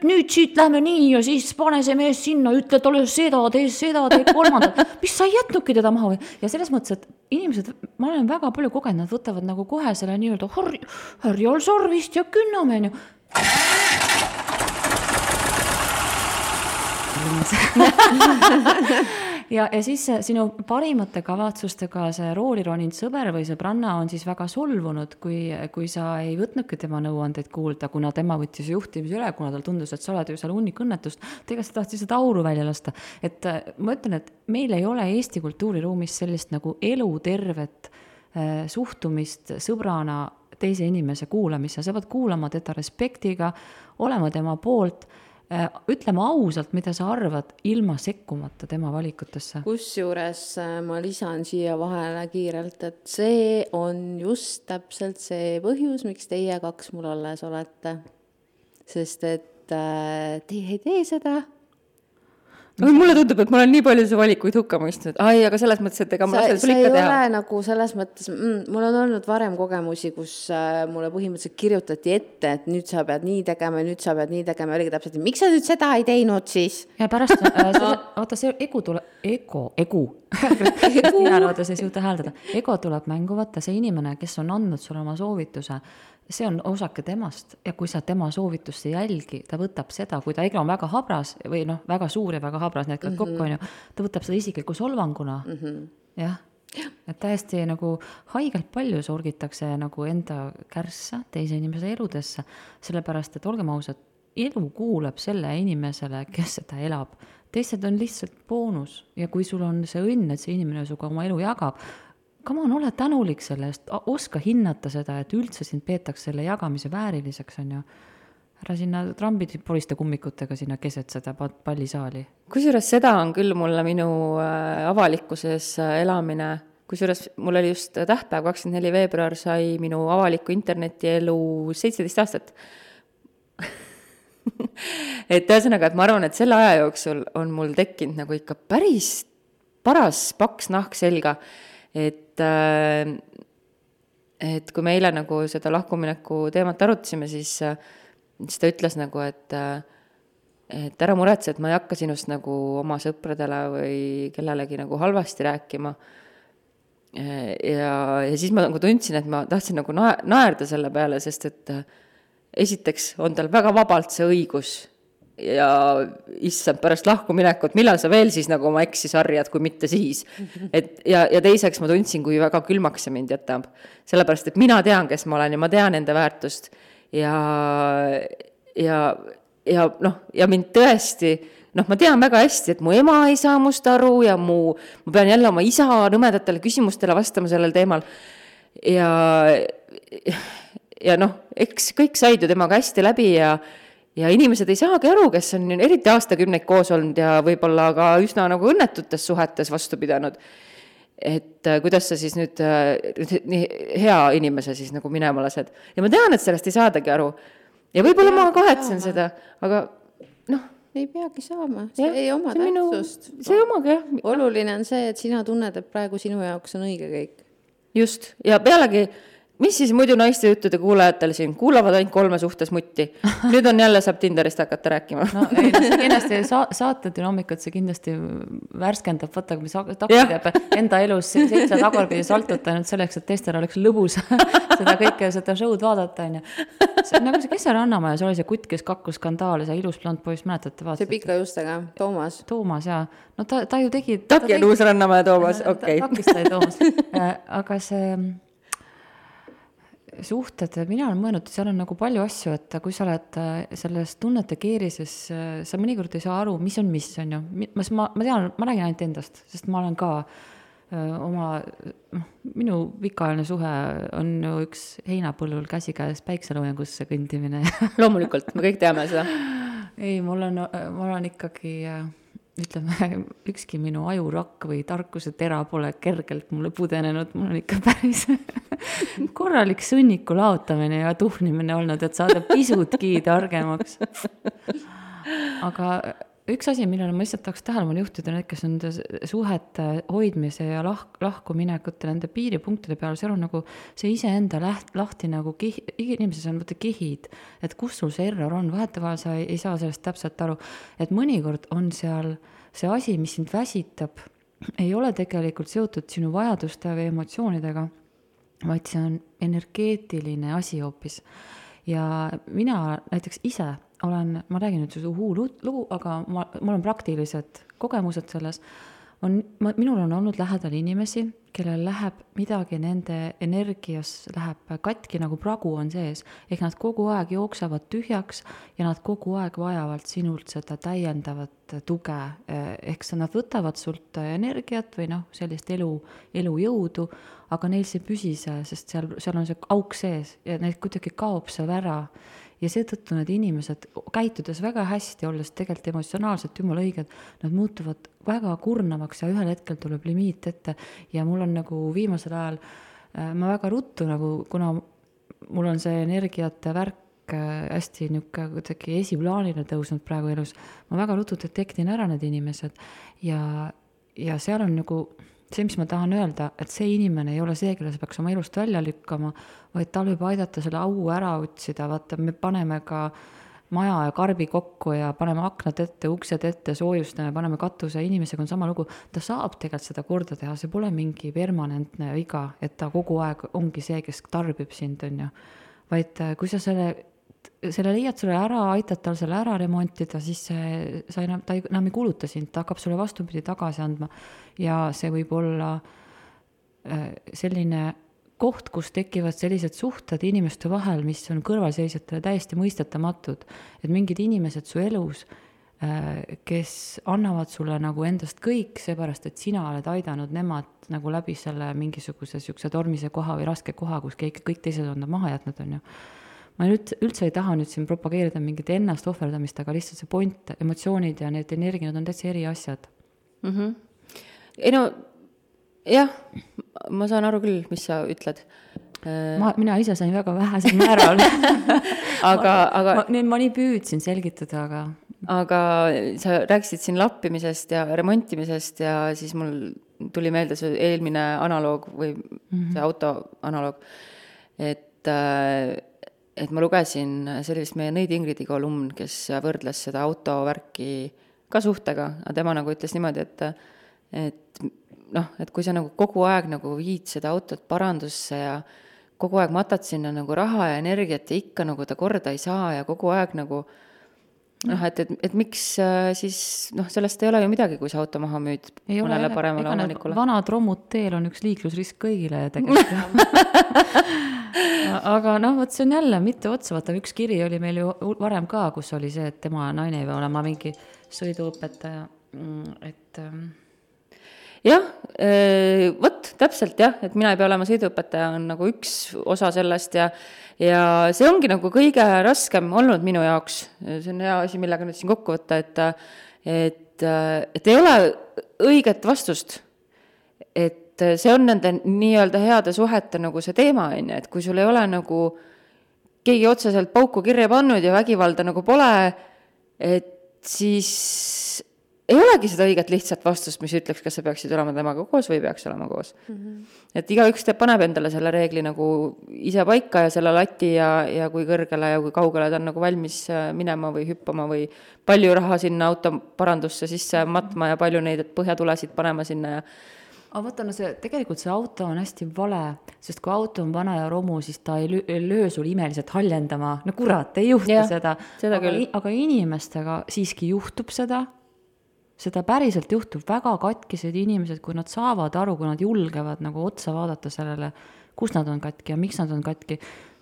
nüüd siit lähme nii ja siis pane see mees sinna, ütle talle seda, tee kolmandat, mis sa ei jätnudki teda maha. Ja selles mõttes, et inimesed, ma olen väga palju kogenud, nad võtavad nagu kohe selle nii-öelda härjal sarvist ja künname, on ju. ja siis sinu parimate kavatsustega see rooli roninud sõber või sõbranna on siis väga solvunud, kui sa ei võtnudki tema nõuandeid kuulda, kuna tema võttis juhtimise üle, kuna tal tundus, et sa oled ju seal hunnikõnnetust, tegelikult sa tahtsid seda auru välja lasta. Et ma ütlen, et meil ei ole Eesti kultuuriruumis sellist nagu elutervet suhtumist sõbrana teise inimese kuulamisse, sa pead kuulama teda respektiga, olema tema poolt, ütlema ausalt, mida sa arvad, ilma sekkumata tema valikutesse. Kusjuures ma lisan siia vahele kiirelt, et see on just täpselt see põhjus, miks teie kaks mul alles olete. Sest et teie ei tee seda. Mulle tundub, et ma olen nii palju see valikuid hukka mõistnud. Aga selles mõttes, et ega ma lasen sul ikka teha. See ei ole nagu selles mõttes, mul on olnud varem kogemusi, kus mulle põhimõtteliselt kirjutati ette, et nüüd sa pead nii tegema, nüüd sa pead nii tegema. Oligi täpselt, et miks sa nüüd seda ei teinud siis? Ja pärast, vaata see ego tuleb, ego tuleb mängu, vaata see inimene, kes on andnud sulle oma soovituse, see on osake temast ja kui sa tema soovitust ei jälgi, ta võtab seda, kui ta ego on väga habras või noh, väga suur ja väga habras, need kokku on ju, ta võtab seda isikliku solvanguna. Jah, et täiesti nagu haigelt palju sorgitakse nagu enda kärssa teise inimese eludesse, sellepärast, et olgem ausad, elu kuulab selle inimesele, kes seda elab. Teised on lihtsalt boonus ja kui sul on see õnn, et see inimene suga oma elu jagab, come on, ole tänulik sellest, oska hinnata seda, et üldse sind peetakse selle jagamise vääriliseks, on ju. Ära sinna trambid poliste kummikutega sinna keset seda pallisaali. Kusjuures seda on küll mulle minu avalikkuses elamine, kusjuures mul oli just tähtpäev 24 veebruar sai minu avaliku internetielu 17 aastat. Et ühesõnaga, et ma arvan, et selle aja jooksul on mul tekkinud nagu ikka päris paras paks nahk selga, et kui me eile nagu seda lahkumineku teemat arutasime, siis ta ütles nagu, et ära muretse, et ma ei hakka sinust nagu oma sõpradele või kellelegi nagu halvasti rääkima. Ja siis ma nagu tundsin, et ma tahtsin nagu naerda selle peale, sest et esiteks on tal väga vabalt see õigus ja issand pärast lahkuminekut, millal sa veel siis nagu oma eksi sarjad, kui mitte siis. Ja teiseks ma tundsin, kui väga külmaks see mind jätab. Sellepärast, et mina tean, kes ma olen ja ma tean enda väärtust ja mind tõesti, ma tean väga hästi, et mu ema ei saa must aru ja ma pean jälle oma isa nõmedatele küsimustele vastama sellel teemal ja eks kõik said ju temaga hästi läbi ja ja inimesed ei saagi aru, kes on eriti aastakümneid koos olnud ja võib-olla ka üsna nagu õnnetutes suhetes vastu pidanud, et kuidas sa siis nüüd nii hea inimese siis nagu minema lased. Ja ma tean, et sellest ei saadagi aru. Ja võib-olla ma kahetsen seda, aga noh. Ei peagi saama, see ei oma tähtsust. See ei omagi, jah. Oluline on see, et sina tunned, et praegu sinu jaoks on õige kõik. Just, ja pealegi, mis siis muidu naiste juttude kuulajatel siin? Kuulavad ainult 3 suhtes mutti. Nüüd on jälle saab Tinderist hakata rääkima. No ei, see kindlasti saate dünaamikat, see kindlasti värskendab, vaata, mis takid jääb enda elus 7 tagurpidi saltuta nüüd selleks, et teistel oleks lõbus seda kõike, seda show'd vaadata. Nagu see, kes see Rannamaja, see oli see kutt, kes kakkus skandaali, see ilus blond poiss, mäletate vaatate? See pika justega, Toomas. Toomas, jaa. No ta ju tegi... Taki on uus Rannamaja Toomas, okei. Takist sai Toomas. Aga see... suhted, mina olen mõelnud, seal on nagu palju asju, et kui sa oled selles tunnete keerises, sa mõnikord ei saa aru, mis on ju. Ma tean, ma räägin ainult endast, sest ma olen ka minu pikaajaline suhe on ju üks heinapõllul käsikäes päikseloojangusse kõndimine. Loomulikult, me kõik teame seda. Ei, mul on ikkagi... ütleme, ükski minu ajurakk või tarkuse tera pole kergelt mulle pudenenud, mul on ikka päris korralik sõnniku laotamine ja tuhnimine olnud, et saada pisutki targemaks. Aga üks asi, millele ma lihtsalt tahaks tähelepanu juhtida, need, kes on suhete hoidmise ja lahkuminekute nende piiripunktide peal, seal on nagu see iseenda lahti nagu inimeses on võtta kihid, et kus sul see error on, vahetevahel sa ei saa sellest täpselt aru, et mõnikord on seal see asi, mis sind väsitab, ei ole tegelikult seotud sinu vajaduste või emotsioonidega, vaid see on energeetiline asi hoopis. Ja mina näiteks ise ma räägin nüüd lugu, aga mul on praktilised kogemused selles. Minul on olnud lähedal inimesi, kellel läheb midagi nende energias läheb katki, nagu pragu on sees. Ehk nad kogu aeg jooksevad tühjaks ja nad kogu aeg vajavad sinult seda täiendavat tuge. Ehk nad võtavad sult energiat või sellist elujõudu, aga neil see püsise, sest seal on see auk sees ja neil kuidagi kaob seal ära. Ja seetõttu need inimesed, käitudes väga hästi, olles tegelikult emotsionaalselt jumala õiged, nad muutuvad väga kurnavaks ja ühel hetkel tuleb limiit ette. Ja mul on nagu viimasel ajal, ma väga ruttu, kuna mul on see energiate värk hästi kuidagi esiplaanile tõusnud praegu elus, ma väga ruttu detektin ära need inimesed ja seal on nagu... See, mis ma tahan öelda, et see inimene ei ole see, kelle sa peaks oma elust välja lükkama, vaid tal võib aidata selle au ära otsida. Vaata, me paneme ka maja ja karbi kokku ja paneme aknad ette, uksed ette, soojustame, paneme katuse, inimesega on sama lugu. Ta saab tegelikult seda korda teha, see pole mingi permanentne viga, et ta kogu aeg ongi see, kes tarbib sind, on ju. Vaid kui sa selle leiad sulle ära, aitad tal selle ära remontida, siis ta enam ei kuluta sind, ta hakkab sulle vastupidi tagasi andma. Ja see võib olla selline koht, kus tekivad sellised suhted inimeste vahel, mis on kõrvalseisjatele täiesti mõistetamatud. Et mingid inimesed su elus, kes annavad sulle nagu endast kõik, seepärast, et sina oled aidanud nemad nagu läbi selle mingisuguse tormise koha või raske koha, kus kõik teised on maha jätnud, on ju. Ma üldse ei taha nüüd siin propageerida mingit ennast ohverdamist, aga lihtsalt see point, emotsioonid ja need energiad on täitsa eri asjad. Ei no, jah, ma saan aru küll, mis sa ütled. Mina ise sain väga vähesel määral. aga ma nii püüdsin selgitada, aga sa rääkisid siin lappimisest ja remontimisest ja siis mul tuli meelde see eelmine analoog või see auto analoog, et ma lugesin, see oli vist meie Nõid Ingridi kolumn, kes võrdles seda autovärki ka suhtega, aga tema nagu ütles niimoodi, et kui sa nagu kogu aeg nagu viid seda autot parandusse ja kogu aeg matad sinna nagu raha ja energiat ja ikka nagu ta korda ei saa ja kogu aeg nagu et miks siis, sellest ei ole ju midagi, kui see auto maha müüd mõnele paremale omanikule. Vanad rommud teel on üks liiklusrisk kõigile tegelikult. Aga võt see on jälle mitte otsa, vaata üks kiri oli meil ju varem ka, kus oli see, et tema naine ei või olema mingi sõiduõpetaja, et... Jah, võt, täpselt jah, et mina ei pea olema sõiduõpetaja, on nagu üks osa sellest ja see ongi nagu kõige raskem olnud minu jaoks. See on hea asi, millega nüüd siin kokku võtta, et ei ole õiget vastust. Et see on nende nii-öelda heade suhete nagu see teema, et kui sul ei ole nagu keegi otseselt pauku kirja pannud ja vägivalda nagu pole, et siis ei olegi seda õiget lihtsat vastust, mis ütleks, kas sa peaksid olema temaga koos või peaks olema koos. Et igaüks paneb endale selle reegli nagu ise paika ja selle lati ja kui kõrgele ja kui kaugele ta on nagu valmis minema või hüppama või palju raha sinna autoparandusse sisse matma ja palju neid põhjatulesid panema sinna ja aga vaata, no tegelikult see auto on hästi vale, sest kui auto on vana ja romu, siis ta ei löö sul imeliselt haljendama. No kurat, ei juhtu seda. Aga inimestega siiski juhtub seda päriselt juhtub. Väga katkised inimesed, kui nad saavad aru, kui nad julgevad nagu otsa vaadata sellele, kus nad on katki ja miks nad on katki,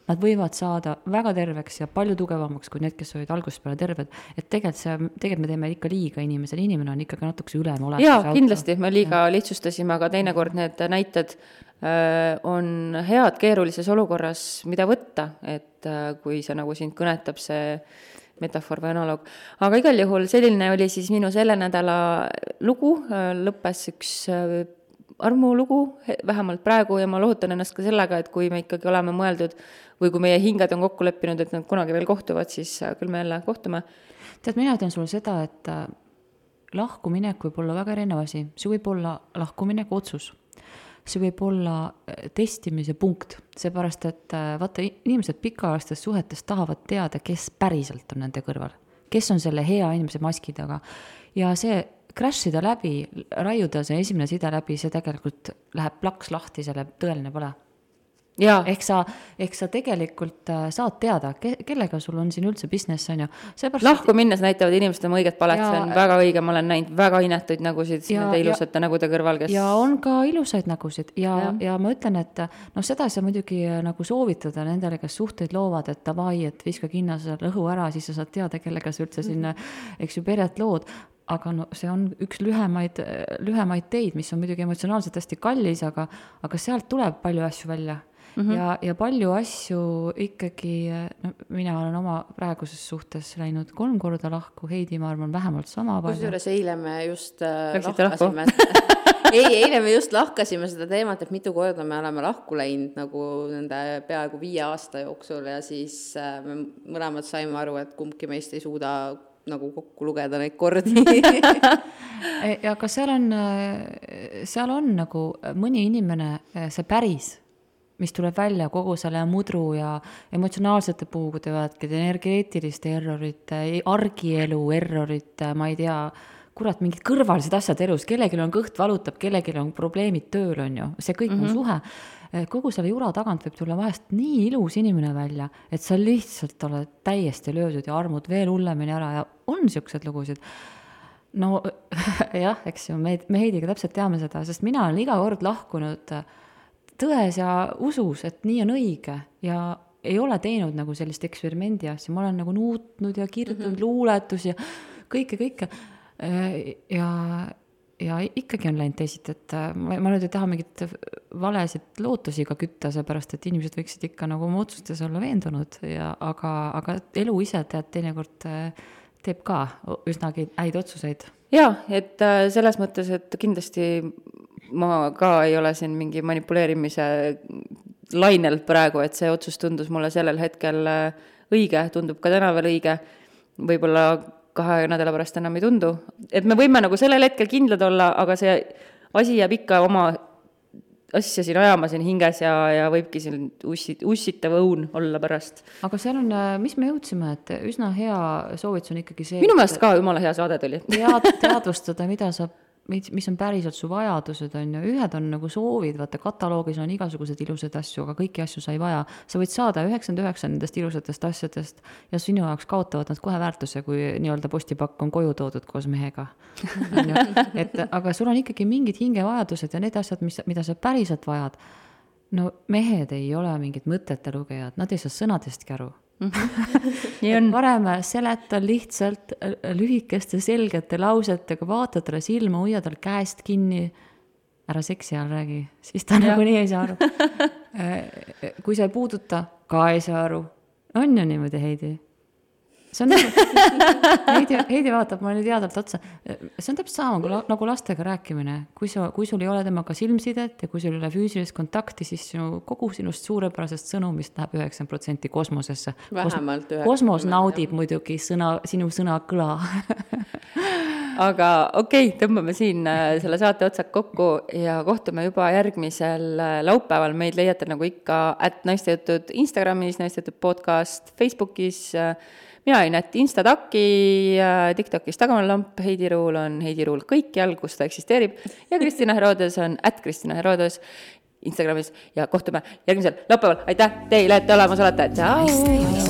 nad võivad saada väga terveks ja palju tugevamaks kui need, kes olid algusest peale terved. Et tegelikult me teeme ikka liiga inimesele. Inimene on ikkagi natukese ülem olemas. Jaa, kindlasti. Me liiga lihtsustasime, aga teinekord need näited on head keerulises olukorras, mida võtta, et kui see nagu sind kõnetab see metafoor või analoog. Aga igal juhul selline oli siis minu selle nädala lugu, lõppes üks armulugu, vähemalt praegu, ja ma lohutan ennast ka sellega, et kui me ikkagi oleme mõeldud või kui meie hinged on kokku leppinud, et nad kunagi veel kohtuvad, siis küll me jälle kohtume. Tead, mina ütlen sulle seda, et lahkuminek võib olla väga erinev asi. See võib olla lahkuminek otsus. See võib olla testimise punkt, seepärast, et vaata, inimesed pikaajalistes suhetes tahavad teada, kes päriselt on nende kõrval, kes on selle hea inimese maski taga. Ja see crashida läbi, raiuda see esimene side läbi, see tegelikult läheb plaks lahti, selle tõeline pole. Ehk sa tegelikult saad teada, kellega sul on siin üldse business, on ju. Lahku minnes näitavad inimesed oma õiget palet, see on väga õige, ma olen näinud väga inetuid nägusid nende ilusate nägude kõrval, kes... Ja on ka ilusaid nägusid ja ma ütlen, et seda ei saa muidugi nagu soovitada nendele, kes suhteid loovad, et davai, et viska kinna see lõhu ära, siis sa saad teada, kellega sa üldse sinna, eks ju, peret lood. Aga see on üks lühemaid teid, mis on muidugi emotsionaalselt hästi kallis, aga sealt tuleb palju asju välja. Ja palju asju ikkagi, mina olen oma praeguses suhtes läinud 3 korda lahku, Heidi, ma arvan, vähemalt sama palju. Kusjuures eile me just lahkasime. Eile me just lahkasime seda teemat, et mitu korda me oleme lahku läinud nagu nende peaaegu 5 aasta jooksul ja siis me mõlemad saime aru, et kumbki meist ei suuda nagu kokku lugeda neid kordi. Aga seal on nagu mõni inimene, see päris, mis tuleb välja kogu selle mudru ja emotsionaalsete puugude vaatke, energeetiliste errorite, argielu errorite, ma ei tea, kurat, mingid kõrvalised asjad elus, kellelgi on kõht valutab, kellelgi on probleemid tööl, on ju, see kõik on suhe. Kogu selle jura tagant võib tulla vahest nii ilus inimene välja, et sa lihtsalt oled täiesti löödud ja armud veel hullemini ära ja on siuksed lugusid. No jah, eks ju, me Heidiga täpselt teame seda, sest mina olen iga kord lahkunud tões ja usus, et nii on õige ja ei ole teinud nagu sellist eksperimendi asja, ma olen nagu nuutnud ja kirjutanud luuletus ja kõike. Ja ikkagi on läinud teisiti, et ma nüüd ei taha mingit valesid lootusi ka kütta, seepärast, et inimesed võiksid ikka nagu oma otsustes olla veendunud, aga elu ise teinekord teeb ka üsnagi häid otsuseid. Jaa, et selles mõttes, et kindlasti ma ka ei ole siin mingi manipuleerimise lainel praegu, et see otsus tundus mulle sellel hetkel õige, tundub ka täna veel õige, võib-olla 2 nädala pärast enam ei tundu. Et me võime nagu sellel hetkel kindlad olla, aga see asi jääb ikka oma asja siin ajama siin hinges ja võibki siin ussitav õun olla pärast. Aga seal on, mis me jõudsime, et üsna hea soovitus on ikkagi see... Minu meelest ka jumala hea saade tuli. Teadvustada, mis on päriselt su vajadused, on ju. Ühed on nagu soovid, vaata kataloogis on igasugused ilusad asju, aga kõiki asju sa ei vaja. Sa võid saada 99 nendest ilusatest asjadest ja sinu jaoks kaotavad nad kohe väärtuse, kui nii-öelda postipakk on koju toodud koos mehega. Aga sul on ikkagi mingid hingevajadused ja need asjad, mida sa päriselt vajad. No mehed ei ole mingid mõtete lugejad, nad ei saa sõnadestki aru. Varem seleta lihtsalt lühikeste selgete lausetega, vaata talle silma, hoia tal käest kinni ära seksi all räägi, siis ta nagunii ei saa aru. Kui sa ei puuduta, ka ei saa aru. On ju niimoodi, Heidi? See on Heidi vaatab mulle teadvalt otsa. See on täpselt sama nagu lastega rääkimine. Kui sul ei ole temaga silmsidet ja kui sul ei ole füüsilist kontakti, siis kogu sinust suurepärasest sõnumist läheb 9% kosmosesse. Vähemalt 9%. Kosmos naudib muidugi sinu sõna kõla. Aga okei, tõmbame siin selle saate otsad kokku ja kohtume juba järgmisel laupäeval. Meid leiate nagu ikka @naistejutud Instagramis, naistejutud podcast Facebookis. Mina olin Instataki, TikTokis Tagamalamp, Heidi Ruul on Heidi Ruul kõikjal, kus ta eksisteerib. Ja Kristina Herodes on @Kristina Herodes Instagramis ja kohtume järgmisel laupäeval. Aitäh teile, et te olemas olete. Tšau!